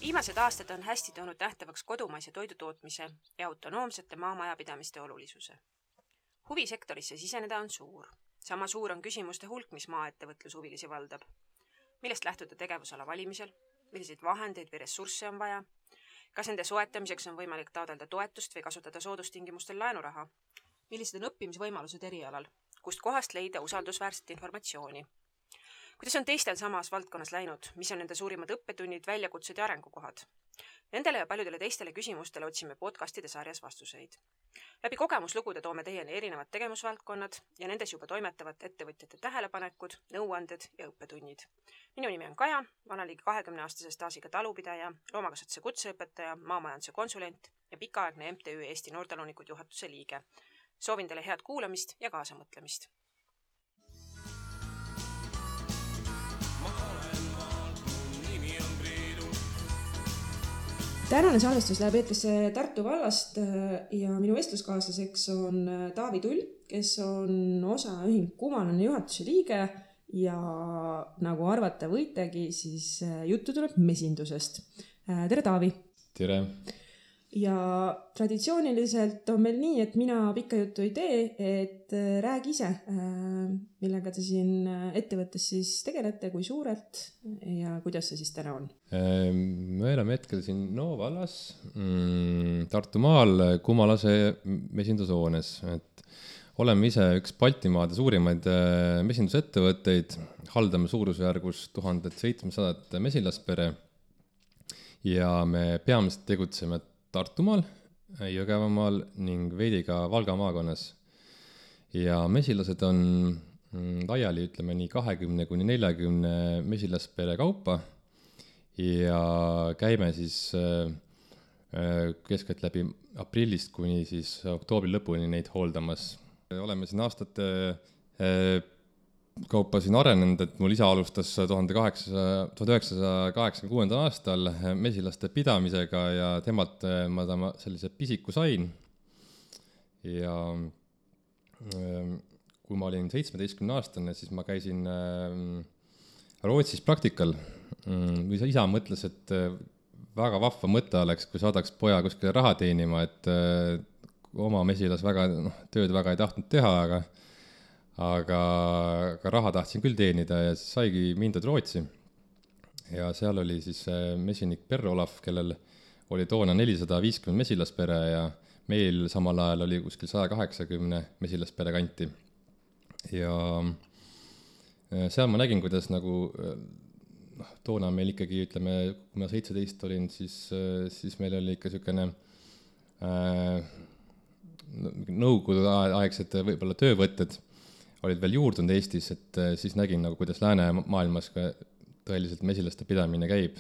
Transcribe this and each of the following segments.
Viimased aastad on hästi toonud nähtavaks kodumaise toidutootmise ja autonoomsete maamajapidamiste olulisuse. Huvi sektorisse siseneda on suur. Sama suur on küsimuste hulk, mis maaettevõtlushuvilisi valdab. Millest lähtuda tegevusala valimisel? Milliseid vahendeid või ressursse on vaja? Kas nende soetamiseks on võimalik taotleda toetust või kasutada soodustingimustel laenuraha? Millised on õppimisvõimalused erialal? Kust kohast leida usaldusväärset informatsiooni? Kuidas on teistel samas valdkonnas läinud? Mis on nende suurimad õppetunnid, väljakutsed ja arengukohad? Nendele ja paljudele teistele küsimustele otsime podcastide sarjas vastuseid. Läbi kogemuslugude toome teieni erinevad tegevusvaldkonnad ja nendes juba toimetavad ettevõtjate tähelepanekud, nõuanded ja õppetunnid. Minu nimi on Kaja, olen ligi 20-aastase staažiga talupidaja, loomakasvatuse kutseõpetaja, maamajanduse konsulent ja pikaaegne MTÜ Eesti Noortalunikud juhatuse liige. Soovin teile head kuulamist ja kaasamõtlemist. Tänane salvestus läheb eetrisse Tartu vallast ja minu vestluskaaslaseks on Taavi Tull, kes on osaühing Kumalane juhatuse liige ja nagu arvata võitegi, siis juttu tuleb mesindusest. Tere, Taavi! Tere! Ja traditsiooniliselt on meil nii, et mina pikka juttu ei tee, et räägi ise, millega te siin ettevõttes siis tegelete, kui suurelt ja kuidas see siis täna on? Me oleme hetkel siin vallas, Tartumaal, Kumalase mesindushoones. Oleme ise üks Baltimaade suurimaid mesindusettevõtteid, haldame suurusjärgus 1700 mesilaspere ja me peamiselt tegutseme Tartumaal, Jõgevamaal ning veidi ka Valga maakonnas. Ja mesilased on laiali, ütleme nii 20-40 mesilaspere kaupa ja käime siis keskelt läbi aprillist kuni siis oktoobri lõpuni neid hooldamas. Oleme siin aastate kaupa siin arenenud, et mul isa alustas 1986. aastal mesilaste pidamisega ja temalt ma sellise pisiku sain. Ja kui ma olin 17-aastane, siis ma käisin Rootsis praktikal. Isa mõtles, et väga vahva mõte oleks, kui saadaks poja kuskile raha teenima, et oma mesilas tööd väga ei tahtnud teha, aga raha tahtsin küll teenida ja siis saigi mindud Rootsi. Ja seal oli siis mesinik Per-Olav, kellel oli toona 450 mesilaspere ja meil samal ajal oli kuskil 180 mesilaspere kanti. Ja seal ma nägin, kuidas toona meil ikkagi, ütleme, kui ma 17 olin, siis meil oli ikka selline nõukogude aegsed võib-olla töövõtted olid veel juurdunud Eestis, et siis nägin, kuidas läänemaailmas ka tõeliselt mesilaste pidamine käib.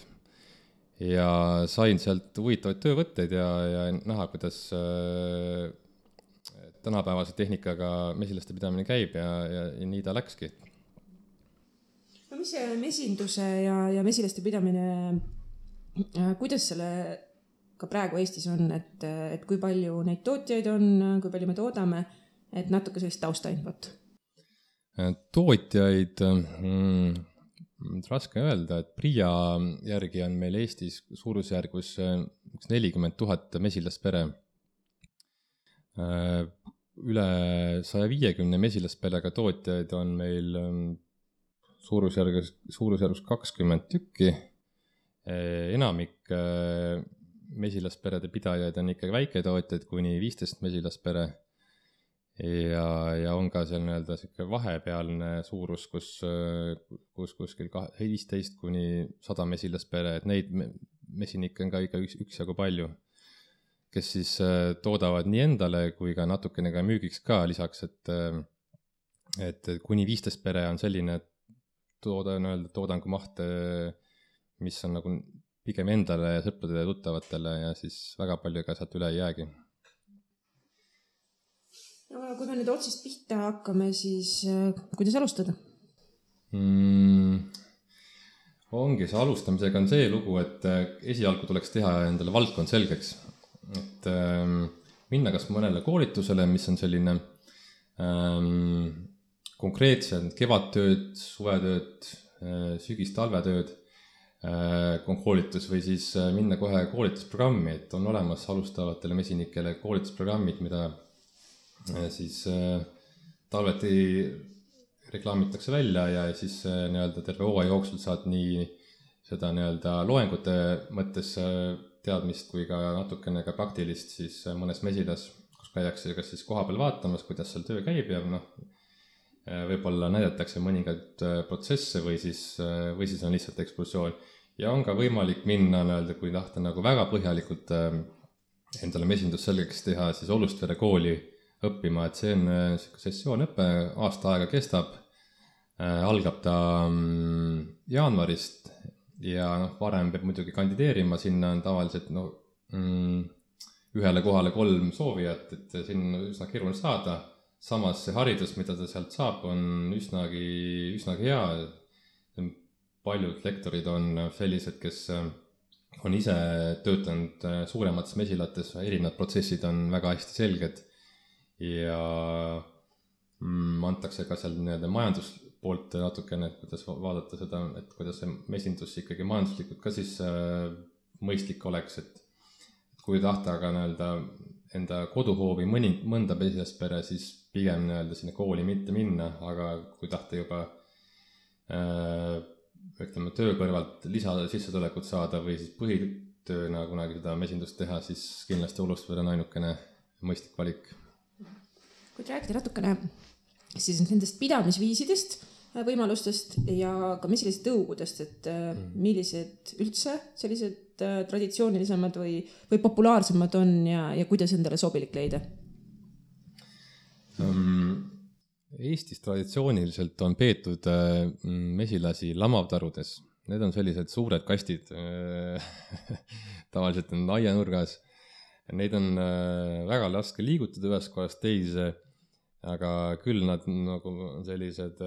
Ja sain sealt huvitavaid töövõtteid ja näha, kuidas tänapäevase tehnikaga mesilaste pidamine käib ja nii ta läkski. No mis see mesinduse ja mesilaste pidamine, kuidas selle ka praegu Eestis on, et kui palju neid tootjaid on, kui palju me toodame, et natuke sellist taustainfot? Tootjaid raske öelda, et Priia järgi on meil Eestis suurusjärgus 40 000 mesilaspere. Üle 150 mesilasperega tootjaid on meil suurusjärgus 20 tükki. Enamik mesilasperede pidajaid on ikka väiketootjaid kuni 15 mesilaspere. Ja on ka seal vahepealne suurus, kus kuskil 15 kuni 100 mesilaspere, et neid mesinikke on ka ikka üksjagu palju, kes siis toodavad nii endale kui ka natukene ka müügiks ka lisaks, et kuni 15 pere on selline toodangu maht, mis on pigem endale ja sõpradele ja tuttavatele ja siis väga palju ka sealt üle ei jäägi. No, kui me nüüd otsast pihta hakkame, siis kuidas alustada? Ongi see alustamisega on see lugu, et esialgu tuleks teha endale valdkond selgeks. Et minna kas mõnele koolitusele, mis on selline konkreetsed kevadtööd, suvetööd, sügis-talvetööd koolitus või siis minna kohe koolitusprogrammi, et on olemas alustavatele mesinikele koolitusprogrammid, mida siis talveti reklaamitakse välja ja siis nii-öelda terve hooaja jooksul saad nii seda nii-öelda loengute mõttes teadmist kui ka natukene ka praktilist siis mõnes mesilas, kus käiakse kas siis kohapeal vaatamas, kuidas seal töö käib ja võib-olla näidatakse mõningaid protsesse või siis on lihtsalt ekskursioon. Ja on ka võimalik minna nii-öelda, kui tahta nagu väga põhjalikult endale mesindus selgeks teha, siis Olustvere kooli õppima, et see on sessioonõpe, aasta aega kestab, algab ta jaanuarist ja varem peab muidugi kandideerima, sinna on tavaliselt ühele kohale 3 soovijat, et sinna on üsna keeruline saada, samas see haridus, mida ta sealt saab, on üsnagi hea, paljud lektorid on sellised, kes on ise töötanud suuremates mesilates, erinevad protsessid on väga hästi selged ja antakse ka seal nii-öelda majanduspoolt natukene, kuidas vaadata seda, et kuidas see mesindus ikkagi majanduslikult ka siis mõistlik oleks, et kui tahta aga nii-öelda enda koduhoovi mõnda mesilaspere, siis pigem nii-öelda sinna kooli mitte minna, aga kui tahta juba ütleme töö kõrvalt lisasissetulekut saada või siis põhitööna kunagi seda mesindust teha, siis kindlasti Olustvere on ainukene mõistlik valik. Kui rääkida natukene siis nendest pidamisviisidest, võimalustest ja ka mesilise tõugudest, et millised üldse sellised traditsioonilisemad või populaarsemad on ja kuidas endale sobilik leida? Eestis traditsiooniliselt on peetud mesilasi lamavtarudes. Need on sellised suured kastid, tavaliselt on aianurgas. Neid on väga raske liigutada ühest kohast teise, aga küll nad nagu sellised,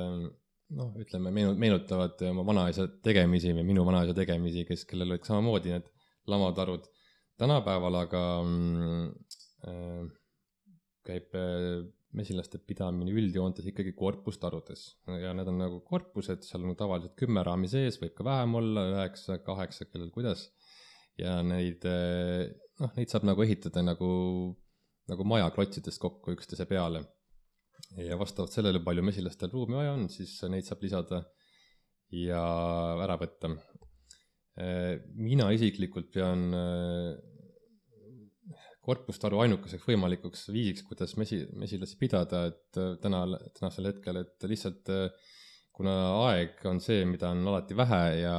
ütleme, meenutavad oma vanaisa tegemisi või minu vanaisa tegemisi, kellel olid samamoodi need lamavtarud. Tänapäeval aga käib mesilaste pidamine üldjoontes ikkagi korpustarudes ja need on nagu korpused, seal on tavaliselt 10 raami sees, võib ka vähem olla, 9, 8, kellel kuidas ja neid saab nagu ehitada nagu maja klotsidest kokku üksteise peale ja vastavalt sellele, palju mesilastel ruumi vaja on, siis neid saab lisada ja ära võtta. Mina isiklikult pean korpustaru ainukeseks võimalikuks viisiks, kuidas mesilasi pidada, et tänasel hetkel, et lihtsalt kuna aeg on see, mida on alati vähe ja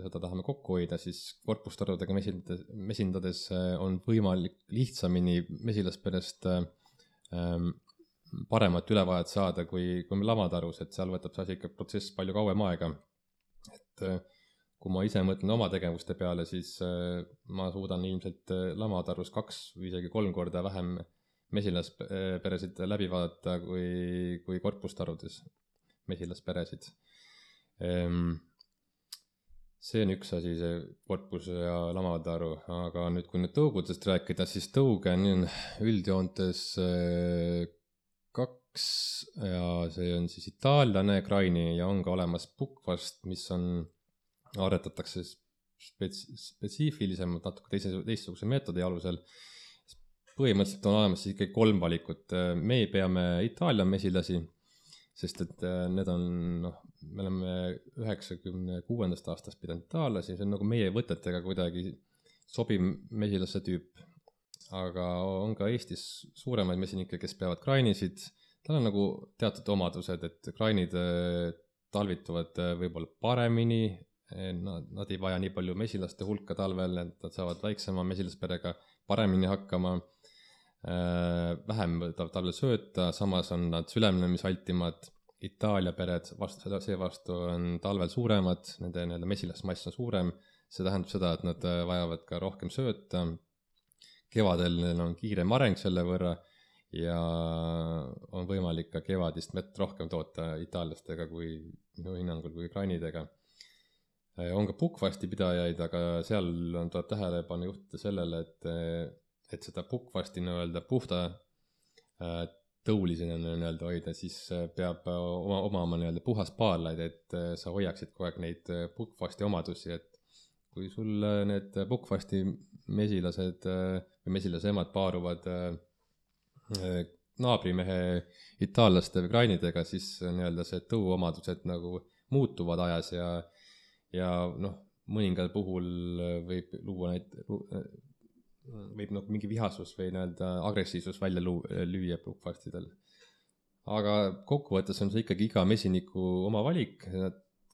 seda tahame kokku hoida, siis korpustarudega mesindades on võimalik lihtsamini mesilasperest paremat ülevaadet saada kui lamatarus, et seal võtab see asi ikka protsess palju kauem aega. Et kui ma ise mõtlen oma tegevuste peale, siis ma suudan ilmselt lamatarus 2 või isegi 3 korda vähem mesilasperesid läbi vaadata kui korpustarudes mesilasperesid. See on üks asi, see korpus ja lamataru, aga nüüd kui nüüd tõugudest rääkida, siis tõuge on üldjoontes 2 ja see on siis itaallane kraini ja on ka olemas pukkvast, mis aretatakse spetsiifilisemalt natuke teistsuguse meetodi alusel. Põhimõtteliselt on olemas siis ikkagi 3 valikut. Me peame Itaalia mesilasi, sest et need on, me oleme 96. aastast pidanud itaallasi, see on nagu meie võtetega kuidagi sobiv mesilasse tüüp. Aga on ka Eestis suuremaid mesinikke, kes peavad krainisid. Tal on nagu teatud omadused, et krainid talvituvad võib-olla paremini, nad ei vaja nii palju mesilaste hulka talvel, et nad saavad väiksema mesilasperega paremini hakkama, vähem talvel sööta, samas on nad sülemlemisaltimad. Itaalia pered seevastu on talvel suuremad, nende mesilasmass on suurem, see tähendab seda, et nad vajavad ka rohkem sööta. Kevadel neil on kiirem areng selle võrra ja on võimalik ka kevadist mett rohkem toota itaallastega kui minu hinnangul kui krainidega. On ka pukkvasti pidajaid, aga seal tuleb tähelepanu juhtida sellele, et seda pukkvasti puhta tõulisena nii-öelda hoida, siis peab omama nii-öelda puhas paarlaid, et sa hoiaksid kogu aeg neid pukkfasti omadusi, et kui sul need pukkfasti mesilased või mesilase emad paaruvad naabrimehe itaallaste või krainidega, siis nii-öelda see tõuomadused nagu muutuvad ajas ja noh, mõningal puhul võib luua võib nagu mingi vihasus või nii-öelda agressiivsus välja lüüa pukkfastidel. Aga kokkuvõttes on see ikkagi iga mesiniku oma valik.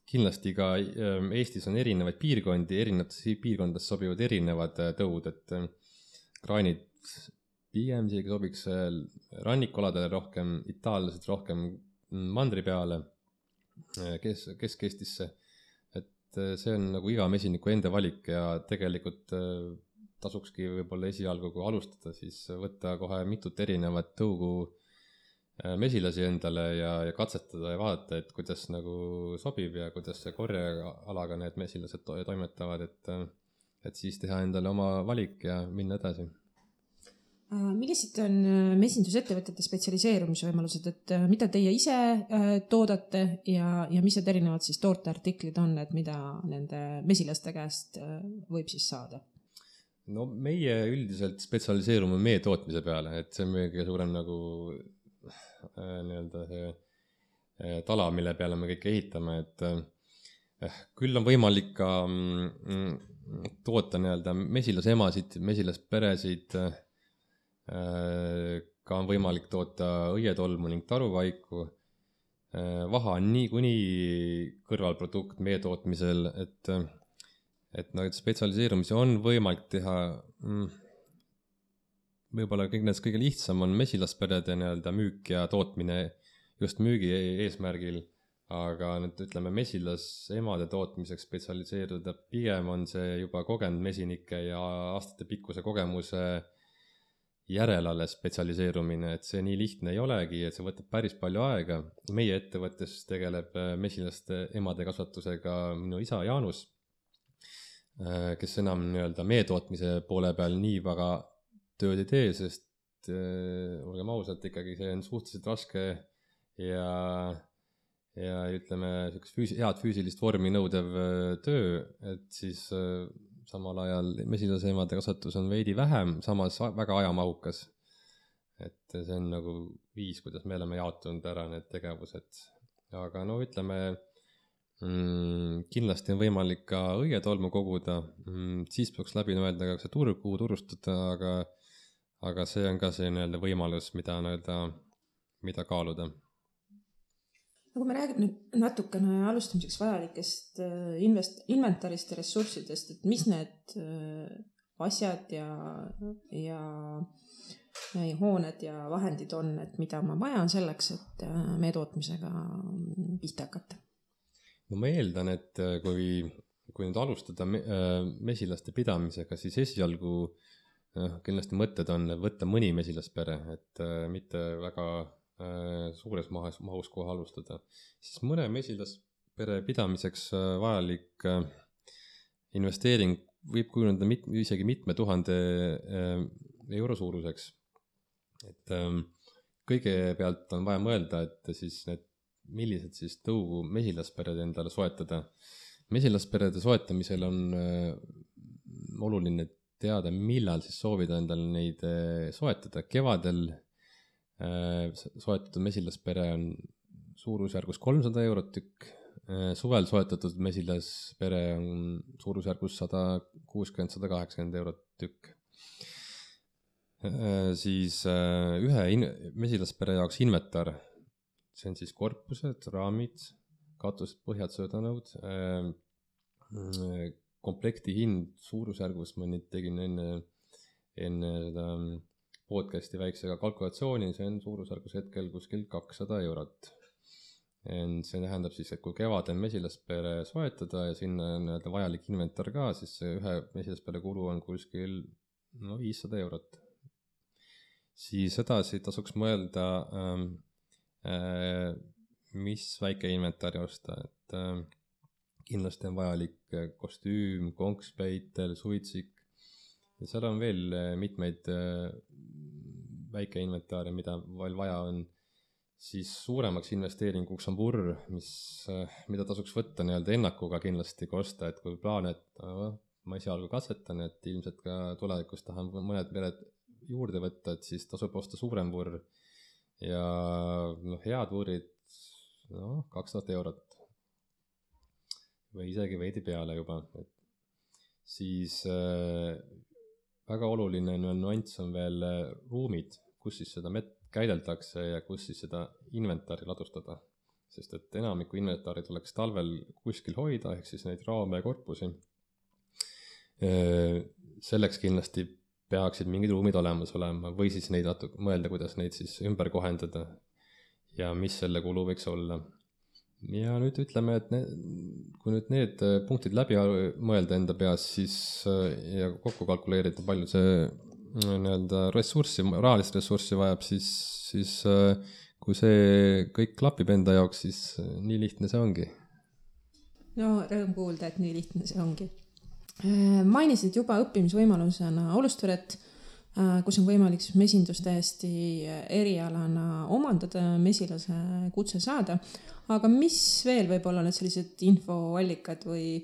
Kindlasti ka Eestis on erinevaid piirkondi, erinevates piirkondades sobivad erinevad tõud, et kraanid pigem isegi sobiks rannikualadele rohkem, itaallased rohkem mandri peale, Kesk-Eestisse. Et see on nagu iga mesiniku enda valik ja tegelikult tasukski võib-olla esialgu, kui alustada, siis võtta kohe mitut erinevat tõugu mesilasi endale ja katsetada ja vaadata, et kuidas nagu sobib ja kuidas see korjealaga need mesilased toimetavad, et siis teha endale oma valik ja minna edasi. Millised on mesindusettevõtete spetsialiseerumise võimalused, et mida teie ise toodate ja mis need erinevad siis tooteartiklid on, et mida nende mesilaste käest võib siis saada? No meie üldiselt spetsialiseerume mee tootmise peale, et see on meie kõige suurem nagu nii-öelda see tala, mille peale me kõik ehitame, et küll on võimalik ka toota nii-öelda mesilasemasid, mesilasperesid, ka on võimalik toota õietolmu ning taruvaiku. Vaha on niikuinii kõrvalprodukt mee tootmisel, et no, spetsialiseerumisi on võimalik teha. Võib-olla kõik need kõige lihtsam on mesilasperede nii-öelda müük ja tootmine just müügi eesmärgil, aga nüüd ütleme mesilasemade tootmiseks spetsialiseeruda pigem on see juba kogenud mesinike ja aastate pikkuse kogemuse järel alles spetsialiseerumine, et see nii lihtne ei olegi, et see võtab päris palju aega. Meie ettevõttes tegeleb mesilaste emade kasvatusega minu isa Jaanus, kes enam nii-öelda mee tootmise poole peal nii väga tööd ei tee, sest olgem ausalt, ikkagi see on suhteliselt raske ja ütleme, head füüsilist vormi nõudev töö, et siis samal ajal mesilasemade kasvatus on veidi vähem, samas väga ajamahukas. Et see on nagu viis, kuidas me oleme jaotunud ära need tegevused. Aga no ütleme, kindlasti on võimalik ka õietolmu koguda, siis peaks läbi mõelda ka see turg, kuhu turustada, aga see on ka see nii-öelda võimalus, mida kaaluda. Kui me räägime nüüd natukene alustamiseks vajalikest inventarist ja ressurssidest, et mis need asjad ja hooned ja vahendid on, et mida ma vajan selleks, et mee tootmisega pihta hakata? No ma eeldan, et kui nüüd alustada mesilaste pidamisega, siis esialgu kindlasti mõtted on võtta mõni mesilaspere, et mitte väga suures mahus kohe alustada. Siis mõne mesilaspere pidamiseks vajalik investeering võib kujuneda isegi mitme tuhande euro suuruseks. Et kõigepealt on vaja mõelda, et siis millised siis tõugu mesilaspered endale soetada. Mesilasperede soetamisel on oluline teada, millal siis soovida endale neid soetada. Kevadel soetatud mesilaspere on suurusjärgus 300 eurot tükk, suvel soetatud mesilaspere on suurusjärgus 160-180 eurot tükk. Siis ühe mesilaspere jaoks inventar, see on siis korpused, raamid, katused, põhjad, söödanõud, komplekti hind suurusjärgus, ma nüüd tegin enne seda podcasti väiksega kalkulatsiooni, see on suurusjärgus hetkel kuskil 200 eurot. See tähendab siis, et kui kevadel mesilaspere soetada ja sinna on vajalik inventar ka, siis ühe mesilaspere kulu on kuskil 500 eurot. Siis edasi tasuks mõelda, mis väike inventari osta, et kindlasti on vajalik kostüüm, konkspeitel, suitsik ja seal on veel mitmeid väike inventaar ja mida veel vaja on, siis suuremaks investeeringuks on vurr, mida tasuks võtta nii-öelda ennakuga kindlasti ka osta, et kui plaan, et ma esialgu katsetan, et ilmselt ka tulevikus tahan mõned pered juurde võtta, et siis tasub osta suurem vurr ja head vurrid 2000 eurot või isegi veidi peale juba. Siis väga oluline nüanss on veel ruumid, kus siis seda mett käideldakse ja kus siis seda inventari ladustada. Sest et enamiku inventari tuleks talvel kuskil hoida, ehk siis neid raame ja korpusi. Selleks kindlasti peaksid mingid ruumid olemas olema või siis neid mõelda, kuidas neid siis ümber kohendada ja mis selle kulu võiks olla. Ja nüüd ütleme, et kui nüüd need punktid läbi mõelda enda peas, siis ja kokku kalkuleerida, palju see nii-öelda rahalist ressurssi vajab, siis kui see kõik klapib enda jaoks, siis nii lihtne see ongi. No rõõm kuulda, et nii lihtne see ongi. Mainisid juba õppimisvõimalusena Olustveret, kus on võimalik mesindus täiesti erialana omandada, mesilase kutse saada. Aga mis veel võib olla need sellised infoallikad või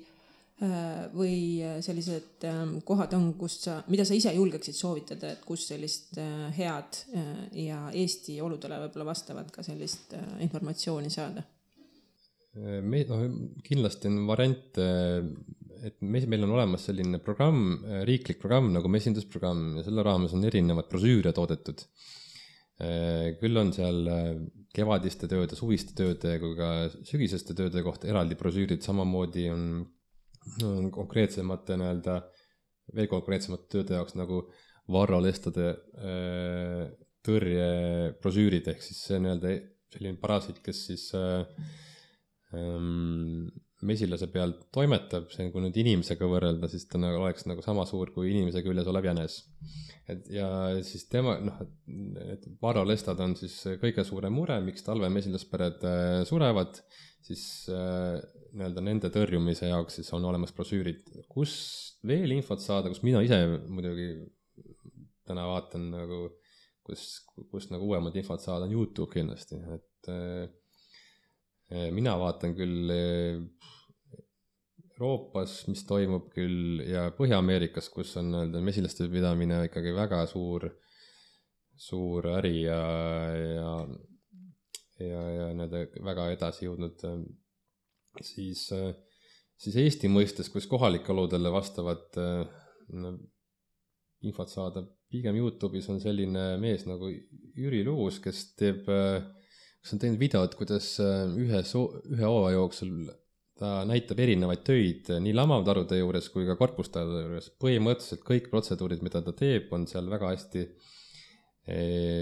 sellised kohad on, mida sa ise julgeksid soovitada, et kus sellist head ja Eesti oludele võib-olla vastavat ka sellist informatsiooni saada? Kindlasti on variant, et meil on olemas selline programm, riiklik programm nagu mesindusprogramm ja selle raames on erinevad brosüüre toodetud. Küll on seal kevadiste tööde, suviste tööde kui ka sügiseste tööde kohta eraldi brosüürid, samamoodi on konkreetsemate veel konkreetsemate tööde jaoks nagu varralestade tõrje brosüürid, ehk siis see selline parasiit, kes siis mesilase peal toimetab, see kui nüüd inimesega võrrelda, siis ta oleks sama suur kui inimese küljes olev jänes. Ja siis et varralestad on siis kõige suurem mure, miks talve mesilaspered surevad, siis nende tõrjumise jaoks siis on olemas brosüürid. Kus veel infot saada, kus mina ise muidugi täna vaatan kus uuemad infot saada, on YouTube kindlasti, et mina vaatan küll Euroopas, mis toimub küll, ja Põhja-Ameerikas, kus on mesilaste pidamine ikkagi väga suur äri ja väga edasi jõudnud. Siis Eesti mõistes, kus kohalike oludele vastavat infot saada, pigem YouTube'is on selline mees nagu Jüri Luus, kes on teinud videod, kuidas ühe hooaja jooksul ta näitab erinevaid töid nii lamavtarude juures kui ka korpustarude juures. Põhimõtteliselt kõik protseduurid, mida ta teeb, on seal väga hästi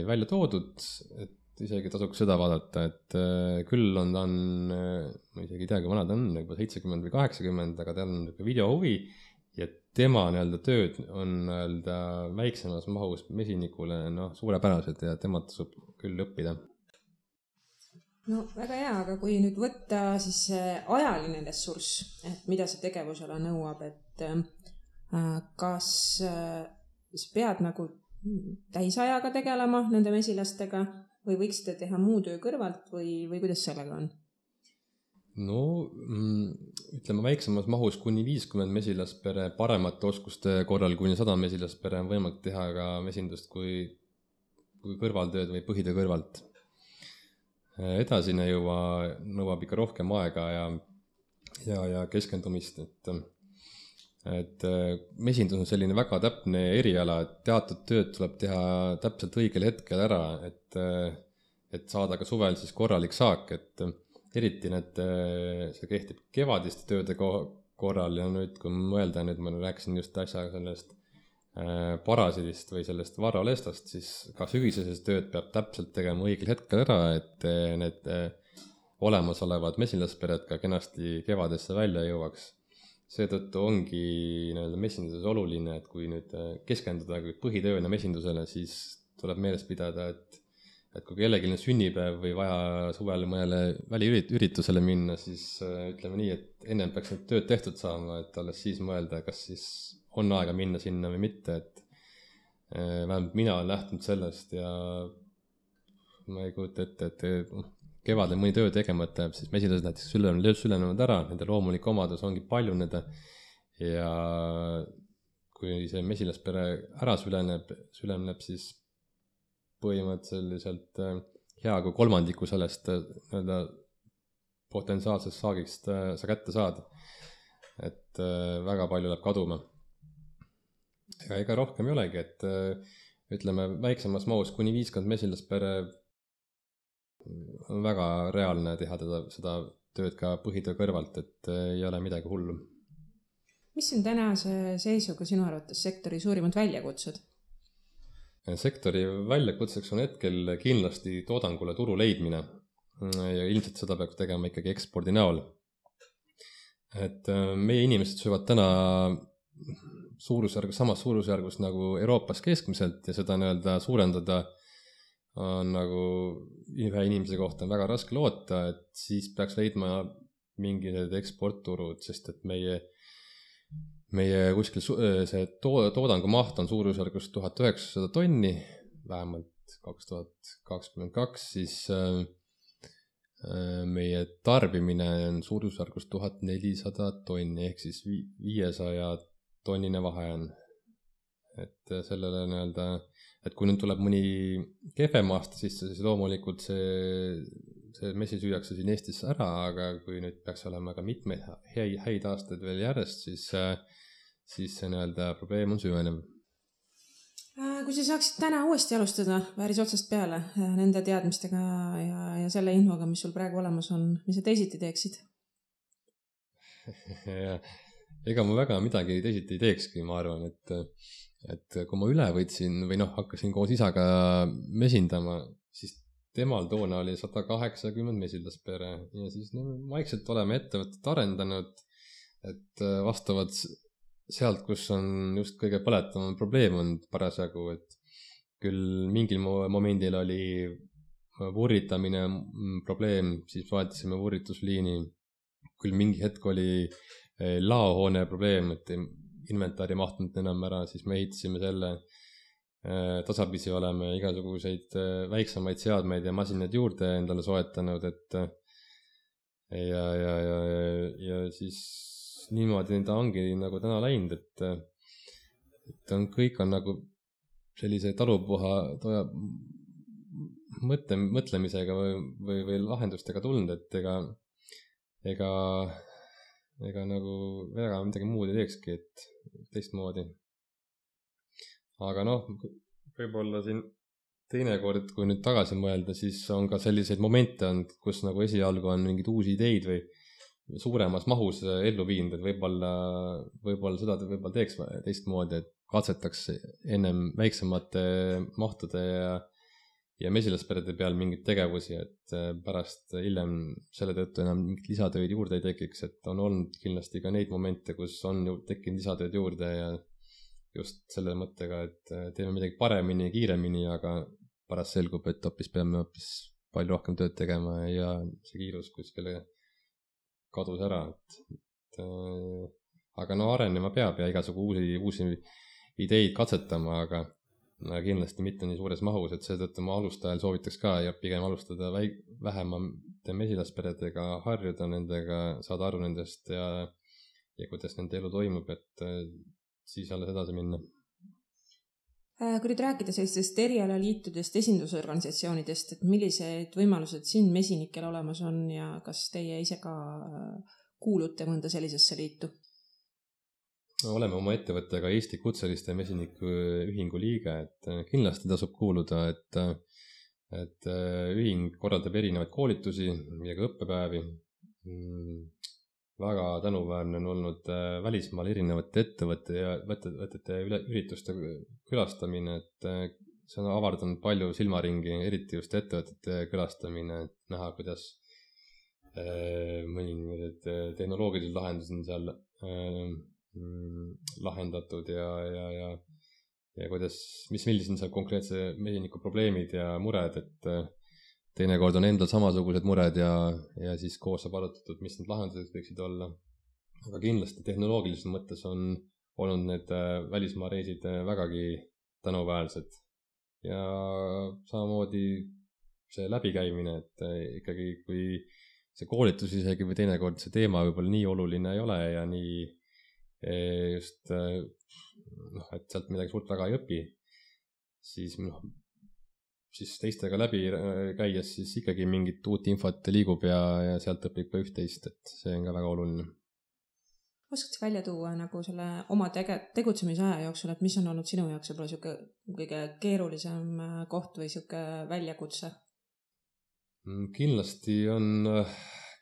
välja toodud, et isegi tasuks seda vaadata, et küll on ta ma isegi ei tea, kui vana ta on, juba 70 või 80, aga tal on videohuvi ja tema tööd on väiksemas mahus mesinikule suurepärased ja tema tasub küll õppida. No väga hea, aga kui nüüd võtta siis ajaline ressurss, et mida see tegevusala nõuab, et kas sa pead täisajaga tegelema nende mesilastega või võiksite teha muu töö kõrvalt või kuidas sellega on? No ütleme väiksemas mahus kuni 50 mesilaspere paremate oskuste korral kuni 100 mesilaspere on võimalik teha ka mesindust kui kõrvaltööd või põhitöö kõrvalt. Edasine juba nõuab ikka rohkem aega ja keskendumist, et mesindus on selline väga täpne eriala, et teatud tööd tuleb teha täpselt õigel hetkel ära, et saada ka suvel siis korralik saak, et eriti see kehtib kevadiste tööde korral ja nüüd kui mõelda, nüüd ma rääkisin just äsja sellest parasiidist või sellest varralestast, siis ka sügiseses tööd peab täpselt tegema õigel hetkel ära, et need olemasolevad mesilaspered ka kenasti kevadesse välja jõuaks. Seetõttu ongi mesinduses oluline, et kui nüüd keskenduda põhitööna mesindusele, siis tuleb meeles pidada, et kui kellelgi on sünnipäev või vaja suvel mõnele väliüritusele minna, siis ütleme nii, et ennem peaks need tööd tehtud saama, et alles siis mõelda, kas siis on aega minna sinna või mitte, vähemalt mina olen lähtunud sellest ja ma ei kujuta ette, et kevadel mõni töö tegemata jääb, siis mesilased näiteks sülenevad ära, nende loomulik omadus ongi paljuneda ja kui see mesilaspere ära süleneb, siis põhimõtteliselt hea kui kolmandiku sellest nii-öelda potentsiaalsest saagist sa kätte saad. Et väga palju läheb kaduma. Ega rohkem ei olegi, et ütleme väiksemas mahus kuni 50 mesilaspere on väga reaalne teha seda tööd ka põhitöö kõrvalt, et ei ole midagi hullu. Mis on tänase seisuga sinu arvates sektori suurimad väljakutsed? Sektori väljakutseks on hetkel kindlasti toodangule turu leidmine ja ilmselt seda peab tegema ikkagi ekspordi näol. Et meie inimesed söövad täna samas suurusjärgus nagu Euroopas keskmiselt ja seda nii-öelda suurendada on nagu ühe inimese kohta on väga raske loota, et siis peaks leidma mingid eksportturud, sest et meie kuskil see toodangu maht on suurusjärgus 1900 tonni, vähemalt 2022, siis meie tarbimine on suurusjärgus 1400 tonni, ehk siis 500 tonnine vahe on. Et sellele nii-öelda, et kui nüüd tuleb mõni kehvem aasta sisse, siis loomulikult see mesi süüakse siin Eestis ära, aga kui nüüd peaks olema ka mitmeid häid aastaid veel järjest, siis see nii-öelda probleem on süvenev. Kui sa saaksid täna uuesti alustada päris otsast peale nende teadmistega ja selle infoga, mis sul praegu olemas on, mis sa teisiti teeksid? Ega ma väga midagi teisiti ei teekski, ma arvan, et kui ma üle võtsin või hakkasin koos isaga mesindama, siis temal toona oli 180 mesilaspere ja siis vaikselt oleme ettevõtet arendanud, et vastavalt sealt, kus on just kõige põletavam probleem on parasjagu, et küll mingil momendil oli vurritamine probleem, siis vaatasime vurritusliini, küll mingi hetk oli laohoone probleem, et inventaari mahtunud enam ära, siis me ehitasime selle, tasapisi oleme igasuguseid väiksemaid seadmeid ja masinaid juurde endale soetanud, et ja siis niimoodi ta ongi nagu täna läinud, et kõik on nagu sellise talupuha mõtlemisega või lahendustega tulnud, et ega nagu väga midagi muud ei teekski, et teistmoodi. Aga võib-olla siin teinekord, kui nüüd tagasi mõelda, siis on ka selliseid momente olnud, kus nagu esialgu on mingid uusi ideid või suuremas mahus ellu viinud, et võib-olla seda võib-olla teeks teistmoodi, et katsetaks ennem väiksemate mahtude ja mesilasperede peal mingeid tegevusi, et pärast hiljem selle tõttu enam mingit lisatööd juurde ei tekiks, et on olnud kindlasti ka neid momente, kus on ju tekkinud lisatööd juurde ja just selle mõttega, et teeme midagi paremini ja kiiremini, aga pärast selgub, et peame palju rohkem tööd tegema ja see kiirus kuskile kadus ära, aga arenema peab ja igasugu uusi ideid katsetama, aga kindlasti mitte nii suures mahus, et seetõttu ma alustajal soovitaks ka ja pigem alustada vähemate mesilasperedega, harjuda nendega, saada aru nendest ja kuidas nende elu toimub, et siis alles edasi minna. Kui nüüd rääkida sellistest erialaliitudest, esindusorganisatsioonidest, et millised võimalused siin mesinikel olemas on ja kas teie ise ka kuulute mõnda sellisesse liitu? Oleme oma ettevõttega Eesti Kutseliste Mesinike Ühingu liige, et kindlasti tasub kuuluda, et ühing korraldab erinevaid koolitusi ja ka õppepäevi. Väga tänuväärne on olnud välismaal erinevate ettevõtete ürituste külastamine, et see on avardanud palju silmaringi, eriti just ettevõtete külastamine, et näha, kuidas mõningad tehnoloogilised lahendused on seal lahendatud ja kuidas, millised on seal konkreetse mesiniku probleemid ja mured, et teinekord on endal samasugused mured ja siis koos saab arutatud, mis need lahendused võiksid olla. Aga kindlasti tehnoloogilises mõttes on olnud need välismaa reisid vägagi tänuväärsed. Ja samamoodi see läbikäimine, et ikkagi kui see koolitus isegi või teinekord see teema võib-olla nii oluline ei ole ja nii just, et sealt midagi suurt väga ei õpi, siis teistega läbi käies siis ikkagi mingit uut infot liigub ja sealt õpib ka üht-teist, et see on ka väga oluline. Oskad sa välja tuua nagu selle oma tegutsemise aja jooksul, et mis on olnud sinu jaoks võib-olla siuke kõige keerulisem koht või siuke väljakutse? Kindlasti on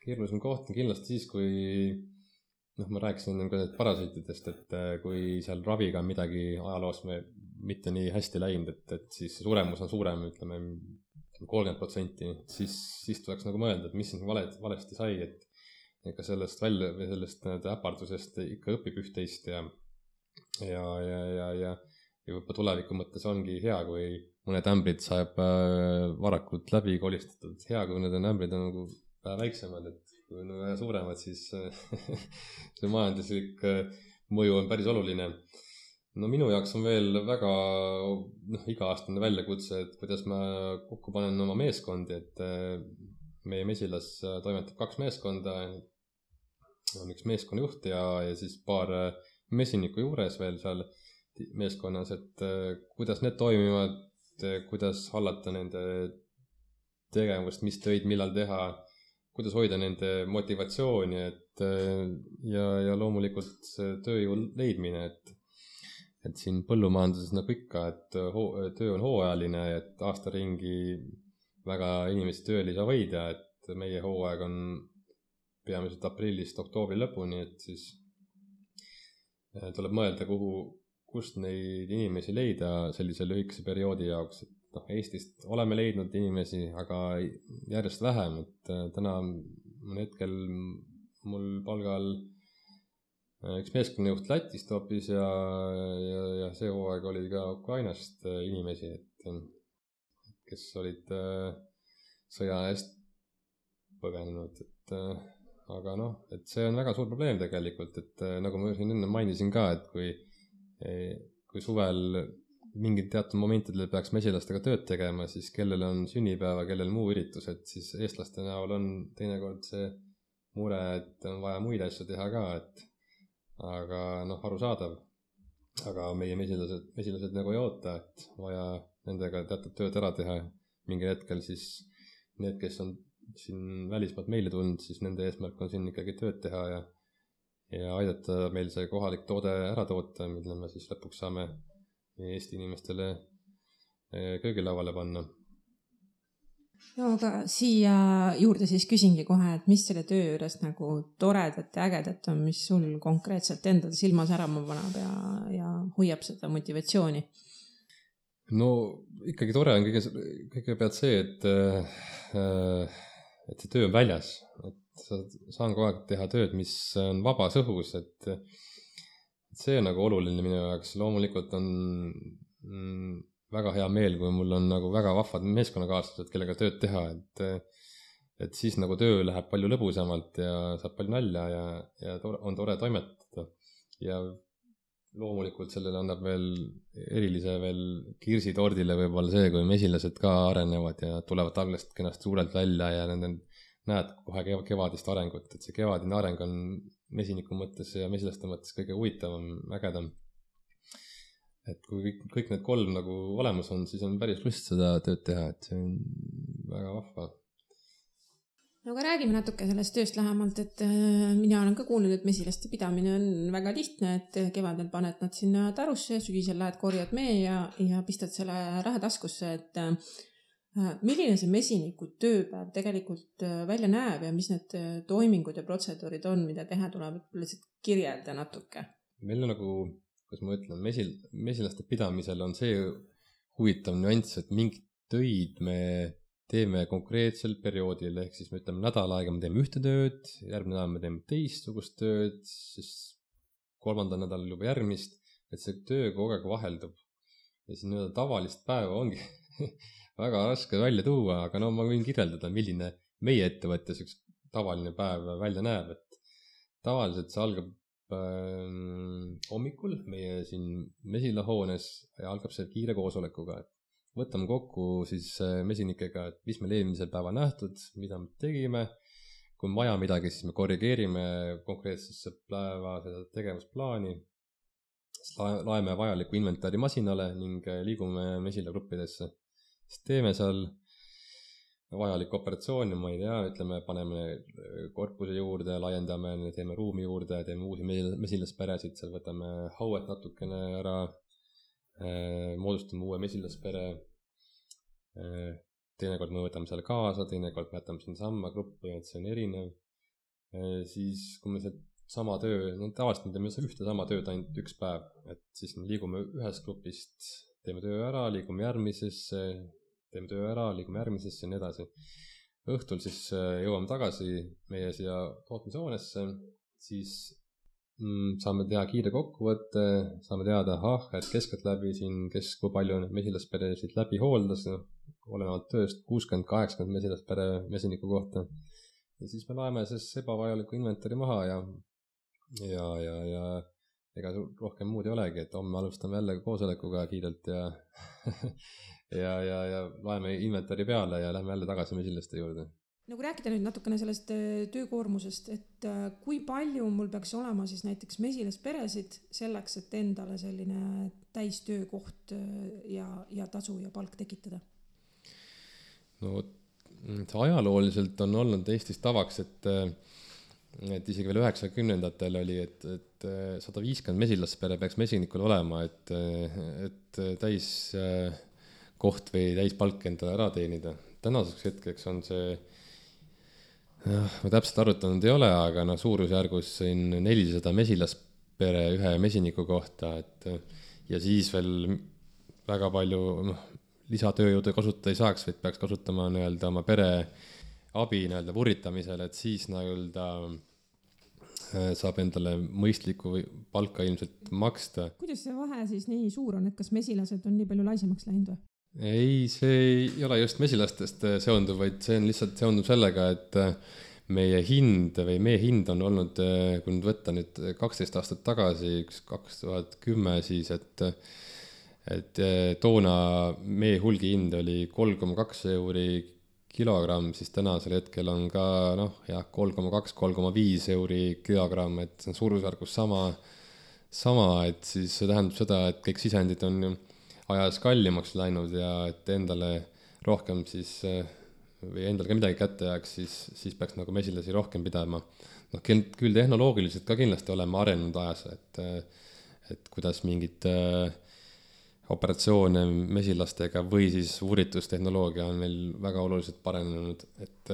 keerulisem koht kindlasti siis, kui ma rääkisin ka parasiitidest, et kui seal raviga on midagi ajaloos mitte nii hästi läinud, et siis suremus on suurem, ütleme 30%, siis tuleks nagu mõelda, et mis siin valesti sai, et ka sellest välja või sellest äpardusest ikka õpib üht-teist ja juba tuleviku mõttes ongi hea, kui mõned ämbrid saab varakult läbi kolistatud. Hea, kui need ämbrid on nagu väiksemad, et kui on vähe suuremad, siis see majanduslik mõju on päris oluline. No minu jaoks on veel väga iga-aastane väljakutse, et kuidas ma kokku panen oma meeskondi, et meie Mesilas toimetab 2 meeskonda, on üks meeskonnajuht ja siis paar mesinikku juures veel seal meeskonnas, et kuidas need toimivad, kuidas hallata nende tegevust, mis töid millal teha, kuidas hoida nende motivatsiooni, et ja loomulikult tööjõu leidmine, et siin põllumajanduses nagu ikka, et töö on hooajaline, et aasta ringi väga inimesi tööl ei saa hoida, et meie hooaeg on peamiselt aprillist oktoobri lõpuni, et siis tuleb mõelda, kust neid inimesi leida sellise lühikese perioodi jaoks, et Eestist oleme leidnud inimesi, aga järjest vähem, et täna on hetkel mul palgal üks meeskonnajuht Lätist hoopis ja see hooaeg oli ka Ukrainast inimesi, et kes olid sõja eest põgenenud, aga et see on väga suur probleem tegelikult, et nagu ma siin enne mainisin ka, et kui suvel mingid teatud momentidel peaks mesilastega tööd tegema, siis kellel on sünnipäeva, kellel muu üritus, et siis eestlaste näol on teinekord see mure, et on vaja muid asju teha ka, aga arusaadav. Aga meie mesilased nagu ei oota, et vaja nendega teatud tööd ära teha. Mingil hetkel siis need, kes on siin välismaalt meile tulnud, siis nende eesmärk on siin ikkagi tööd teha ja aidata meil see kohalik toode ära toota, mille me siis lõpuks saame Eesti inimestele köögilauale panna. No aga siia juurde siis küsingi kohe, et mis selle töö juures nagu toredat ja ägedat on, mis sul konkreetselt endal silma särama paneb ja hoiab seda motivatsiooni? No ikkagi tore on kõigepealt see, et see töö on väljas, et saan kogu aeg teha tööd, mis on vabas õhus, et see on nagu oluline minu jaoks. Loomulikult on väga hea meel, kui mul on nagu väga vahvad meeskonnakaaslased, kellega tööd teha, et siis nagu töö läheb palju lõbusamalt ja saab palju nalja ja on tore toimetada. Ja loomulikult sellele annab veel erilise veel kirsi tordile võib-olla see, kui mesilased ka arenevad ja tulevad algusest kenast suurelt välja ja näed kohe kevadist arengut, et see kevadine areng on mesiniku mõttes ja mesilaste mõttes kõige huvitavam, ägedam. Et kui kõik need 3 nagu olemas on, siis on päris lust seda tööd teha, et see on väga vahva. No aga räägime natuke sellest tööst lähemalt, et mina olen ka kuulnud, et mesilaste pidamine on väga lihtne, et kevadel paned nad sinna tarusse ja sügisel lähed korjad mee ja pistad selle raha taskusse, et milline see mesiniku tööpäev tegelikult välja näeb ja mis need toimingud ja protseduurid on, mida teha tuleb, et lihtsalt kirjelda natuke. Meil on nagu, kuidas ma ütlen, mesilaste pidamisel on see huvitav nüanss, et mingid töid me teeme konkreetsel perioodil, ehk siis me ütleme nädal aega me teeme ühte tööd, järgmine nädal me teeme teistsugust tööd, siis 3. nädalal juba järgmist, et see töö kogu aeg vaheldub. Ja siis nii-öelda tavalist päeva ongi väga raske välja tuua, aga ma võin kirjeldada, milline meie ettevõttes üks tavaline päev välja näeb, et tavaliselt see algab hommikul meie siin mesilahoones ja algab see kiire koosolekuga, et võtame kokku siis mesinikega, et mis meil eelmisel päeva nähtud, mida me tegime, kui on vaja midagi, siis me korrigeerime konkreetsesse päeva seda tegevusplaani, laeme vajaliku inventari masinale ning liigume mesilagruppidesse. Siis teeme seal vajalik operatsioon, ma ei tea, ütleme, paneme korpuse juurde, laiendame, teeme ruumi juurde, teeme uusi mesilasperesid, seal võtame hauet natukene ära, moodustame uue mesilaspere, teinekord me võtame seal kaasa, teinekord me jätame siin samma gruppi, et see on erinev. Siis, kui me see sama töö, tavaliselt me teeme ühte sama tööd ainult üks päev, et siis liigume ühest grupist, teeme töö ära, liigume järgmisesse, teeme töö ära, liigume järgmisesse ja nii edasi. Õhtul siis jõuame tagasi meie siia tootmishoonesse, siis saame teha kiire kokkuvõtte, saame teada, et keskeltläbi siin, kes kui palju mesilasperesid läbi hooldas, olenevalt tööst 60-80 mesilaspere mesiniku kohta. Ja siis me laeme siis ebavajaliku inventari maha ja ega rohkem muud ei olegi, et homme alustame jälle koosolekuga kiirelt ja laeme inventari peale ja lähme jälle tagasi mesilaste juurde. No kui rääkida nüüd natukene sellest töökoormusest, et kui palju mul peaks olema siis näiteks mesilasperesid selleks, et endale selline täistöökoht ja tasu ja palk tekitada? No ajalooliselt on olnud Eestis tavaks, et isegi veel 90-ndatel oli, et 150 mesilaspere peaks mesinikul olema, et täis koht või täispalk endale ära teenida. Tänaseks hetkeks on see, ma täpselt arvutanud ei ole, aga suurusjärgus 400 mesilaspere ühe mesiniku kohta, ja siis veel väga palju lisatööjõudu kasutada ei saaks, vaid peaks kasutama oma pere abi vuritamisel, et siis saab endale mõistlikku palka ilmselt maksta. Kuidas see vahe siis nii suur on, et kas mesilased on nii palju laisemaks läinud või? Ei, see ei ole just mesilastest seonduv, vaid see on lihtsalt seonduv sellega, et meie hind on olnud, kui nüüd võtta nüüd 12 aastat tagasi, 2010 siis, et toona meie hulgi hind oli 3,2 euri kilogramm, siis tänasel hetkel on ka 3,2-3,5 euri kilogramm, et see on suurusjärgus sama, et siis see tähendab seda, et kõik sisendid on ajas kallimaks läinud ja et endale rohkem siis, või endale ka midagi kätte jääks, siis peaks mesilasi rohkem pidama. Küll tehnoloogiliselt ka kindlasti oleme arenenud ajas, et kuidas mingid operatsioone mesilastega või siis uuritustehnoloogia on meil väga oluliselt parenenud, et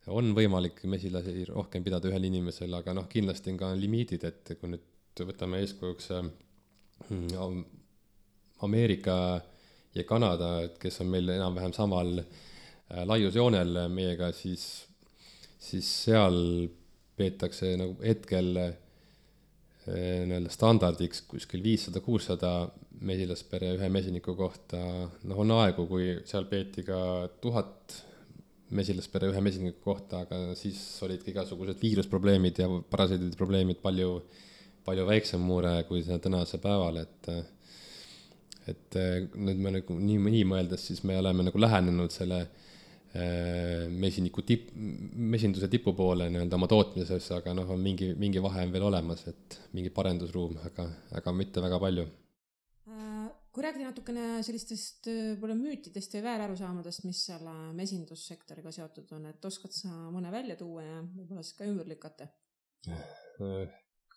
on võimalik mesilasi rohkem pidada ühel inimesel, aga kindlasti on ka limiidid, et kui nüüd võtame eeskujuks Ameerika ja Kanada, kes on meil enam-vähem samal laiusjoonel meiega, siis seal peetakse hetkel standardiks kuskil 500-600 mesilaspere ühe mesiniku kohta. On aegu, kui seal peeti ka 1000 mesilaspere ühe mesiniku kohta, aga siis olidki igasugused viirusprobleemid ja parasiidide probleemid palju väiksem mure kui tänase päeval, et nüüd me nii mõeldes, siis me oleme lähenenud selle mesinduse tipu poole oma tootmises, aga on mingi vahe on veel olemas, et mingi parendusruum, aga mitte väga palju. Kui rääkida natukene sellistest müütidest ja väärarusaamadest, mis selle mesindussektoriga seotud on, et oskad sa mõne välja tuua ja võib-olla siis ka ümber lükata?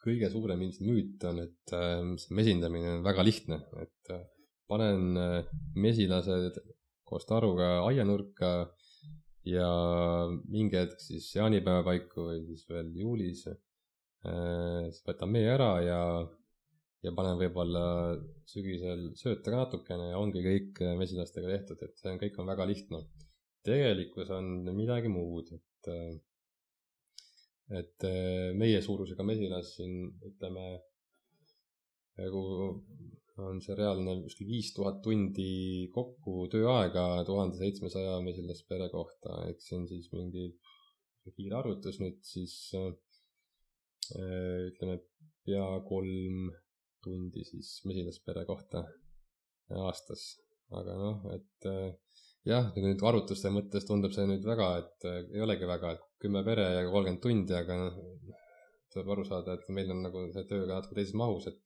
Kõige suurem müüt on, et see mesindamine on väga lihtne, et panen mesilased koos taruga aianurka ja mingi hetk siis jaanipäeva paiku või siis veel juulis siis võtan mee ära ja panen võib-olla sügisel sööta ka natukene ja ongi kõik mesilastega tehtud, et see kõik on väga lihtne. Tegelikkus on midagi muud, et meie suurusega mesilas siin ütleme on see reaalne 5000 tundi kokku tööaega 1700 mesilaspere kohta, ehk see on siis mingi kiire arvutus nüüd siis ütleme pea 3 tundi siis mesilaspere kohta aastas. Aga et jah, nüüd arvutuste mõttes tundub see nüüd väga, et ei olegi väga, et 10 pere ja 30 tundi, aga tuleb aru saada, et meil on nagu see tööga natuke teises mahus, et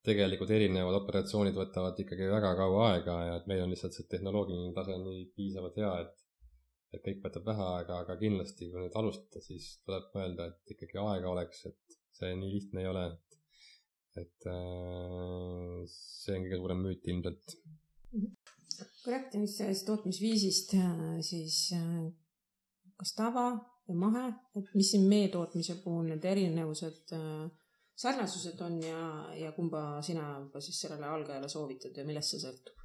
tegelikult erinevad operatsioonid võtavad ikkagi väga kaua aega ja et meil on lihtsalt see tehnoloogiline tase nii piisavalt hea, et kõik võtab vähe aega, aga kindlasti kui nüüd alustada, siis tuleb mõelda, et ikkagi aega oleks, et see nii lihtne ei ole, et see on kõige suurem müüt ilmselt. Kui rääkida nüüd sellest tootmisviisist, siis kas tava või mahe, et mis siin mee tootmise puhul need erinevused, sarnasused on ja kumba sina siis sellele algajale soovitad ja millest see sõltub?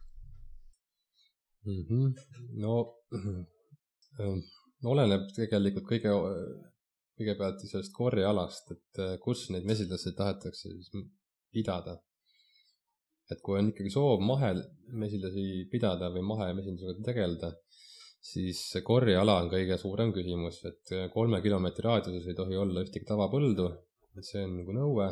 Oleneb tegelikult kõigepealt sellest korjealast, et kus neid mesilasi tahetakse siis pidada. Et kui on ikkagi soov mahemesilasi pidada või mahemesindusega tegeleda, siis korjeala on kõige suurem küsimus, et 3 kilomeetri raadiuses ei tohi olla ühtegi tavapõldu, et see on nagu nõue,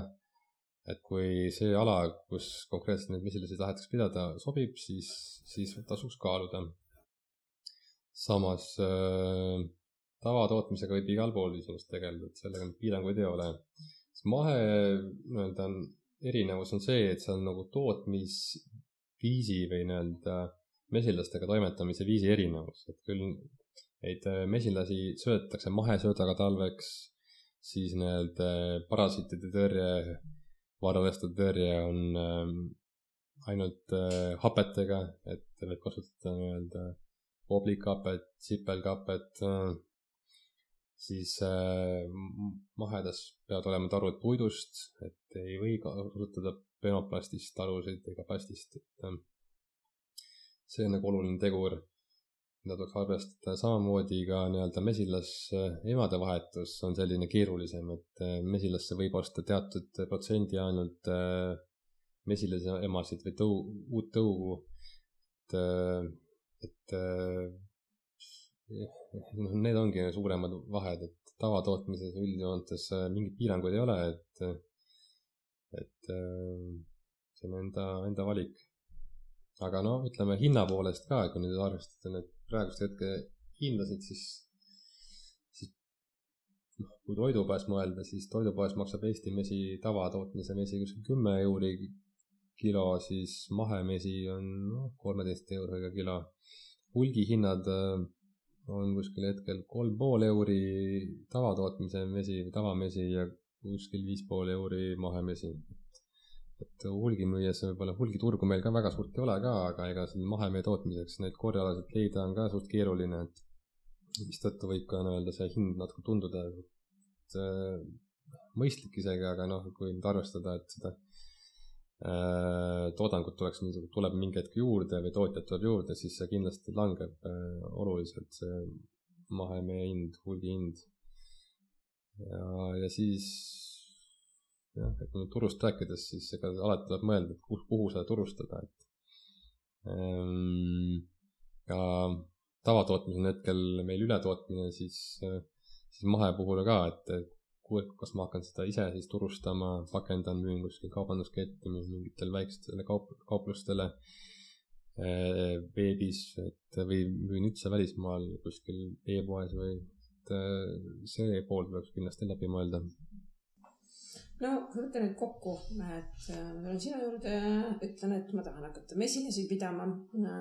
et kui see ala, kus konkreetselt neid mesilasi tahetakse pidada, sobib, siis tasuks kaaluda. Samas tavatootmisega võib igal pool iseenesest tegeleda, et sellega piiranguid ei ole. Mahe erinevus on see, et see on nagu tootmisviisi või mesilastega toimetamise viisi erinevus, et küll neid mesilasi söödetakse mahesöödaga talveks, siis parasiitide tõrje, varaleste tõrje on ainult hapetega, et võib kasutada oblikapet, sipelkapet, siis mahedas peavad olema tarud puidust, et ei või kasutada penoplastist tarusid ega plastist, et see on nagu oluline tegur, mida tuleks arvestada. Samamoodi ka mesilas emade vahetus on selline keerulisem, et mesilasse võib osta teatud protsendi ainult mesilase emasid või uut tõugu, et need ongi suuremad vahed, et tavatootmises üldjoontes mingid piiranguid ei ole, et see on enda valik. Aga ütleme hinna poolest ka, kui nüüd arvestada need praegust hetke hindasid, siis kui toidupoes mõelda, siis toidupoes maksab Eesti mesi, tavatootmise mesi kuskil 10 euri kilo, siis mahemesi on 13 euriga kilo. Hulgihinnad on kuskil hetkel 3,5 euri tavatootmise mesi või tavamesi ja kuskil 5,5 euri mahemesi. Et hulgimüües võib-olla hulgiturgu meil ka väga suurt ei ole ka, aga ega siin mahemee tootmiseks neid korjalaselt leida on ka suht keeruline, et mis tõttu võib ka see hind natuke tunduda mõistlik isegi, aga kui nüüd arvestada, et seda toodangut tuleb mingi hetk juurde või tootjad tuleb juurde, siis see kindlasti langeb oluliselt, see mahemee hind, hulgihind. Ja siis et kui turust rääkides, siis ega alati tuleb mõelda, et kuhu seda turustada. Ja tavatootmis on hetkel meil ületootmine, siis mahe puhul ka, et kas ma hakkan seda ise siis turustama, pakendan, müün kuskil kaubandusketti, mingitele väikestele kauplustele veebis, või müün üldse välismaal kuskil e-poes või see pool tuleks kindlasti läbi mõelda. No, kui võtta nüüd kokku, et ma tulen sinu juurde ja ütlen, et ma tahan hakata mesilasi pidama.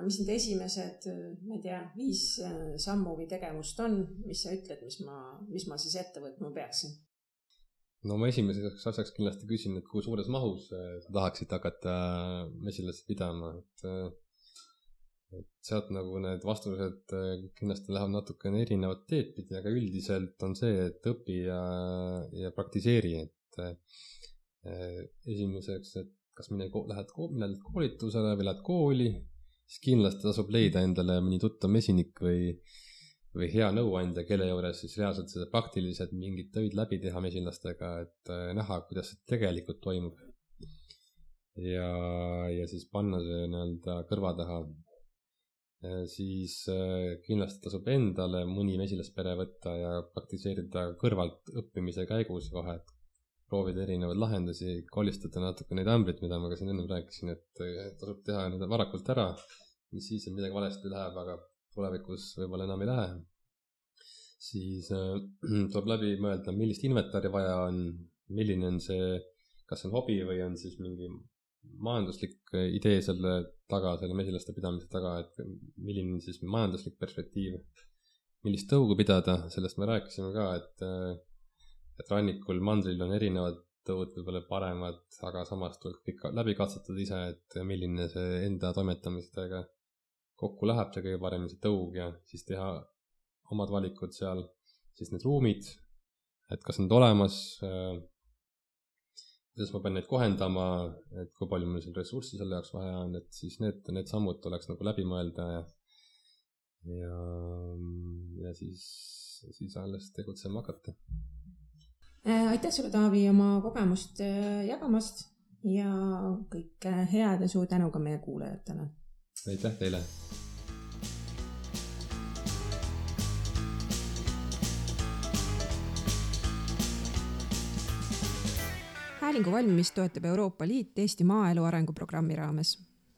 Mis need esimesed, 5 sammu või tegevust on, mis sa ütled, mis ma siis ette võtma peaksin? No ma esimeseks asjaks kindlasti küsin, et kui suures mahus sa tahaksid hakata mesilasi pidama, et sealt need vastused kindlasti lähevad natukene erinevat teed pidi, aga üldiselt on see, et õpi ja praktiseeri, et esimeseks, et kas lähed koolitusele või lähed kooli, siis kindlasti tasub leida endale mõni tuttav mesinik või hea nõuandja, kelle juures siis reaalselt seda praktiliselt mingid töid läbi teha mesilastega, et näha, kuidas see tegelikult toimub. Ja siis panna see kõrva taha. Siis kindlasti tasub endale mõni mesilaspere võtta ja praktiseerida kõrvalt õppimise käigus vahet. proovida erinevaid lahendusi, kolistada natuke neid ämbrit, mida ma ka siin ennem rääkisin, et tasub teha need varakult ära, mis siis, et midagi valesti läheb, aga tulevikus võib-olla enam ei lähe. Siis tuleb läbi mõelda, millist inventari vaja on, milline on see, kas on hobi või on siis mingi majanduslik idee selle taga, selle mesilaste pidamise taga, et milline on siis majanduslik perspektiiv, millist tõugu pidada, sellest me rääkisime ka, et rannikul, mandril on erinevad tõud võib-olla paremad, aga samas tuleb kõik läbi katsetada ise, et milline see enda toimetamistega kokku läheb, see kõige parem see tõug ja siis teha omad valikud seal, siis need ruumid, et kas need olemas, kuidas ma pean neid kohendama, et kui palju mul seal ressurssi selle jaoks vaja on, et siis need sammud tuleks nagu läbi mõelda ja siis alles tegutsema hakata. Aitäh sulle, Taavi, oma kogemust jagamast ja kõike head ja suur tänu ka meie kuulajatele. Aitäh teile! Häälingu valmimist toetab Euroopa Liit Eesti maaelu arenguprogrammi raames.